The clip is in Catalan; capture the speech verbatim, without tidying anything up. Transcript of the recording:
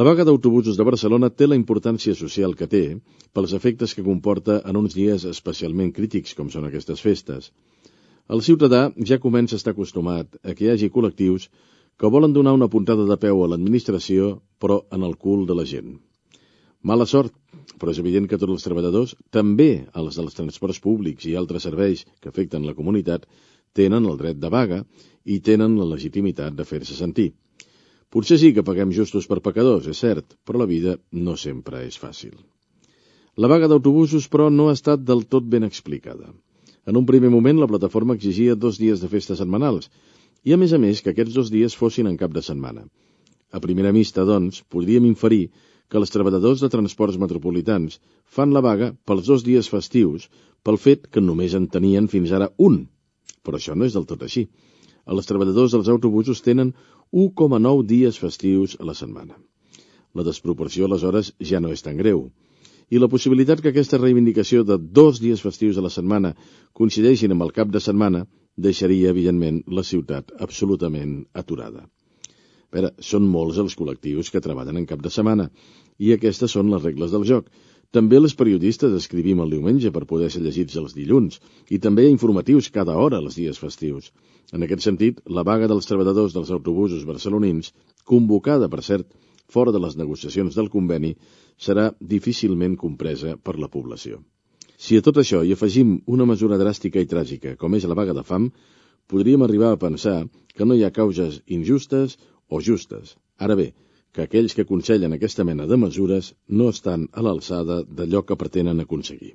La vaga d'autobusos de Barcelona té la importància social que té pels efectes que comporta en uns dies especialment crítics com són aquestes festes. El ciutadà ja comença a estar acostumat a que hi hagi col·lectius que volen donar una puntada de peu a l'administració, però en el cul de la gent. Mala sort, però és evident que tots els treballadors, també els dels transports públics i altres serveis que afecten la comunitat, tenen el dret de vaga i tenen la legitimitat de fer-se sentir. Potser sí que paguem justos per pecadors, és cert, però la vida no sempre és fàcil. La vaga d'autobusos, però, no ha estat del tot ben explicada. En un primer moment, la plataforma exigia dos dies de festes setmanals, i a més a més que aquests dos dies fossin en cap de setmana. A primera vista, doncs, podríem inferir que els treballadors de transports metropolitans fan la vaga pels dos dies festius pel fet que només en tenien fins ara un. Però això no és del tot així. Els treballadors dels autobusos tenen un coma nou dies festius a la setmana. La desproporció, aleshores, ja no és tan greu. I la possibilitat que aquesta reivindicació de dos dies festius a la setmana coincideixin amb el cap de setmana deixaria, evidentment, la ciutat absolutament aturada. A veure, són molts els col·lectius que treballen en cap de setmana, i aquestes són les regles del joc. També els periodistes escrivim el diumenge per poder ser llegits els dilluns, i també hi ha informatius cada hora els dies festius. En aquest sentit, la vaga dels treballadors dels autobusos barcelonins, convocada, per cert, fora de les negociacions del conveni, serà difícilment compresa per la població. Si a tot això hi afegim una mesura dràstica i tràgica, com és la vaga de fam, podríem arribar a pensar que no hi ha causes injustes o justes. Ara bé, que aquells que aconsellen aquesta mena de mesures no estan a l'alçada d'allò que pretenen aconseguir.